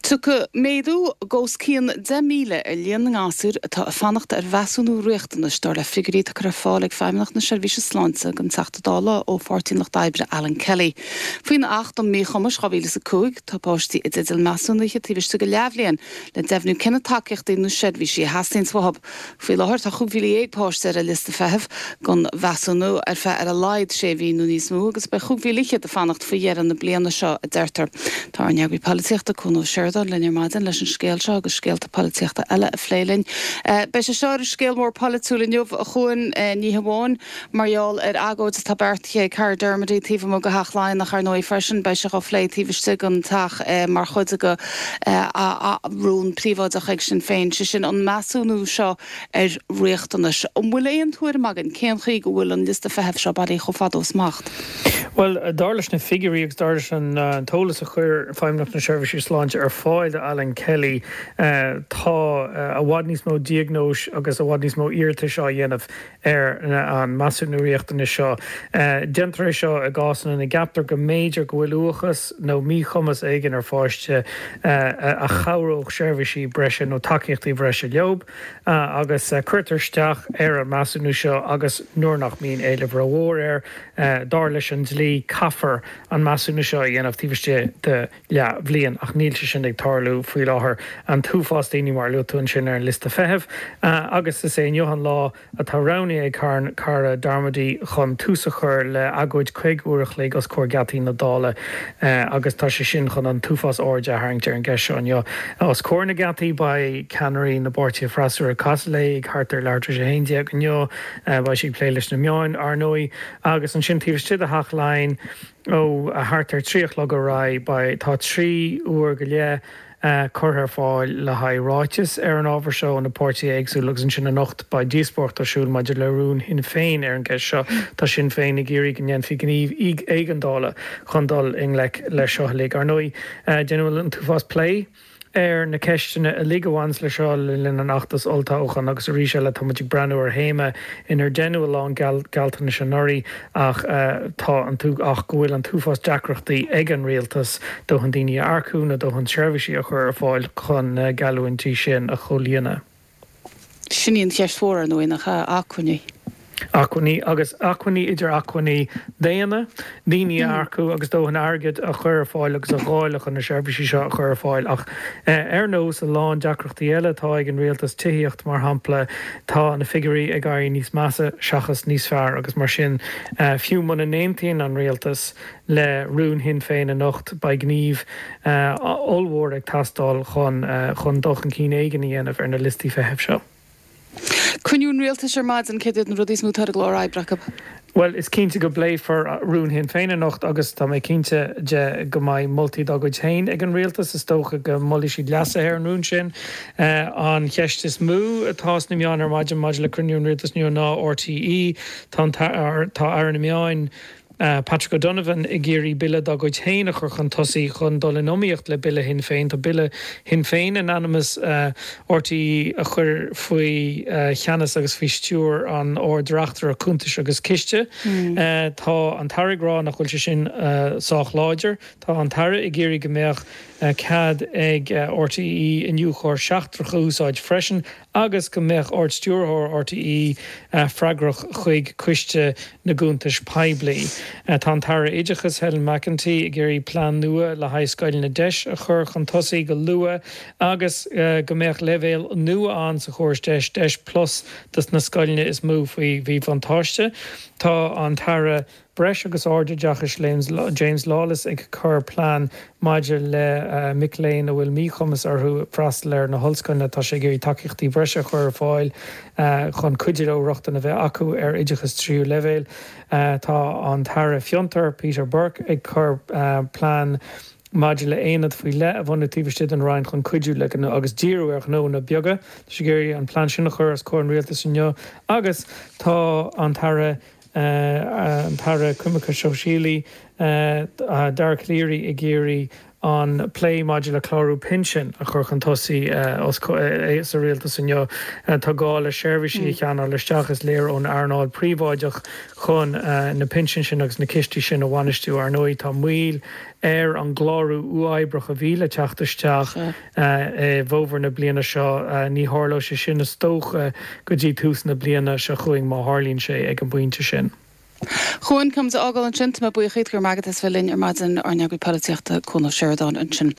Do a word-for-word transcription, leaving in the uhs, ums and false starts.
Tiocfaidh méadú os cionn deich míle ar líon na ngasúr atá ag fanacht ar mheasúnú riachtanais dar le figiúirí atá curtha ar fáil ag Feidhmeannacht na Seirbhíse Sláinte don Teachta Dála ó Pháirtí an Lucht Oibre Alan Kelly. Faoin Acht um Míchumais dhá mhíle is a cúig tá páistí i dteideal measúnaithe taobh istigh de leathbhliain le deimhniú cé na tacaíochtaí nó seirbhísí a theastaíonn uathu. Faoi láthair tá cúig mhíle dhéag páiste ar an liosta feithimh don mheasúnú ar feadh ar a laghad sé mhí nó níos mó agus beidh cúig mhíle fhichead ag fanacht faoi dheireadh na bliana seo a deirtear. Tá ár n-eagraí polaitíochta Cuan Ó Seireadáin linn ar maidin leis an scéal seo agus scéalta polaitíochta eile a phlé linn. Beidh sé seo ar an scéal mór polaitiúil inniu a Chuain, ní hamháin mar gheall ar agóid atá beartaithe ag Cara Dermody taobh amuigh de Theach Laighean ach ar ndóigh freisin beidh sé á phlé taobh istigh den teach mar chuid de rún príobháideach ag Sinn Féin, sé sin an measúnú seo ar riachtanais. An bhfuil aon tuairim againn cén chaoi go bhfuil an liosta feithimh seo bailithe chomh fada ó smacht? Bhuel, dar leis na figiúirí agus dar leis an t-eolas a chuir Feidhmeannacht na Seirbhíse Sláinte ar fáil do Alan Kelly, tá i bhfad níos mó diagnóis agus i bhfad níos mó iarratais á dhéanamh ar an measúnú riachtanais seo. Déantar é seo i gcásanna ina gceaptar go mb'fhéidir go bhfuil uathachas nó míchumas éigin ar pháiste a chabhródh seirbhísí breise nó tacaíochtaí breise leo agus cuirtear isteach ar an measúnú seo agus nuair nach mbíonn éileamh rómhór air, dar leis an dlí caithfear an measúnú seo a dhéanamh taobh istigh de leathbhliain ach níl sé sin ag tarlú faoi láthair. An t-uafás daoine mar a luaigh tú ansin ar an liosta feithimh agus is é inniu an lá atá roghnaithe ag Cara Darmody chun tús a chur le agóid caoga uair a chloig os comhair geataí na Dála agus tá sé sin chun an t-uafás airde a tharraingt ar an gceist seo inniu. Os comhair na geataí beidh ceannairí na bpáirtithe freasúra ag casadh léi ag thart ar leathuair tar éis a haon déag inniu. Beidh sí ag plé leis na meáin, ar ndóigh, agus ansin taobh istigh de Theach Laighean ó thart ar trí a chlog ar aghaidh beidh tá trí uair go leith curtha ar fáil le haghaidh ráiteas ar an ábhar seo ó na páirtithe éagsúla agus ansin anocht beidh díospóireacht ar siúl maidir le rún Shinn Féin ar an gceist seo. Tá Sinn Féin ag iarraidh go ndéanfaí gníomh éigeandála chun dul i ngleic leis seo uilig. Ar ndóigh, déanadh an t-uafás plé ar na ceisteanna uilig a bhaineas leis seo le linn an fheachtais olltoghcháin agus arís eile tá muid ag breathnú ar théama inar deineadh a lán gealltanais anuraidh ach tá an ach go bhfuil an t-uafás deacrachtaí ag an rialtas dóthain daoine a earcú nó dóthain seirbhísí a chur ar fáil chun na geallúintí sin a chomhlíonadh. Sin í an cheist mhór ar ndóigh nach ea, acmhainní. Acmhainní agus acmhainní idir acmhainní daonna, daoine a earcú agus dóthain airgid a chur ar fáil agus a dháileadh chun na seirbhísí seo a chur ar fáil. Ach ar nós a lán deacrachtaí eile atá ag an rialtas, tithíocht mar shampla, tá na figiúirí ag éirí níos measa seachas níos fearr agus mar sin fiú muna n-aontaíonn an rialtas le rún Shinn Féin anocht beidh gníomh ollmhór ag teastáil chun chun dul chun cinn éigin a dhéanamh ar na liostaí feithimh seo. Cruinniú an Rialtais ar maidin, céard iad na rudaí is mó atá ar an gclár oibre acu? Bhuel, is cinnte go bpléifear rún Shinn Féin anocht agus tá mé cinnte de go mbeidh moltaí dá gcuid féin ag an rialtas. Is dócha go molfaidh siad leasuithe ar an rún sin. An cheist is mó atá sna meáin ar maidin maidir le cruinniú an rialtais inniu ná RTÉ. Tá tá Aire na Meáin, Patrick O'Donovan ag iarraidh bille dá gcuid féin a chur chun tosaigh chun dul in iomaíocht le bille Shinn Féin. Tá bille Shinn Féin in ainm is RTÉ a chur faoi cheannas agus faoi stiúir an Ard-Reachtaire Cuntais agus Ciste. Tá an tAire ag rá nach bhfuil sé sin sách láidir. Tá an tAire ag iarraidh go mbeadh cead ag RTÉ iniúchóir seachtrach a úsáid freisin agus go mbeadh Ard-Stiúrthóir RTÉ freagrach chuig Coiste na gCuntais Poiblí. Tá an tAire Oideachais Helen McEntee ag iarraidh plean nua le haghaidh scoileanna deis a chur chun tosaigh go luath agus go mbeadh leibhéal nua ann sa chóras deis, Deis Plus, dos na scoileanna is mó faoi mhíbhuntáiste. Tá an tAire Breis agus Ardoideachais James Lawless ag cur plean maidir le mic léinn a bhfuil míchumas orthu freastal ar na hollscoileanna. Tá sé ag iarraidh tacaíochtaí breise a chur ar fáil chun cuidiú leo rochtain a bheith acu ar oideachas tríú leibhéal. Tá an tAire Fiontar, Peter Burke, ag cur plean maidir le haonad faoi leith a bhunú taobh istigh den Roinn chun cuidiú le agus díriú ar ghnónna beaga. Tá sé ag iarraidh an plean sin a chur os comhair an Rialtais inniu agus tá an tAire an tAire Coimirce Sóisialaí, Dara Calleary ag iarraidh an plé maidir le clárú pinsin a chur chun tosaigh sa rialtas inniu. Tá gá le seirbhísí a cheannach isteach is léir ón earnáil príobháideach chun na pinsin sin agus na cistí sin a bhainistiú. Ar ndóigh tá moill ar an gclárú uathoibríoch a bhí le teacht isteach i bhfómhar na bliana seo. Ní tharlóidh sé sin is dócha go dtí tús na bliana seo chugainn má tharlaíonn sé ag an bpointe sin. Chuan com a fhágáil ansin, tá mé buíoch go raibh maith agat as bheith linn ar maidin ár n-eagraí polaitíochta Cuan Ó Seireadáin ansin.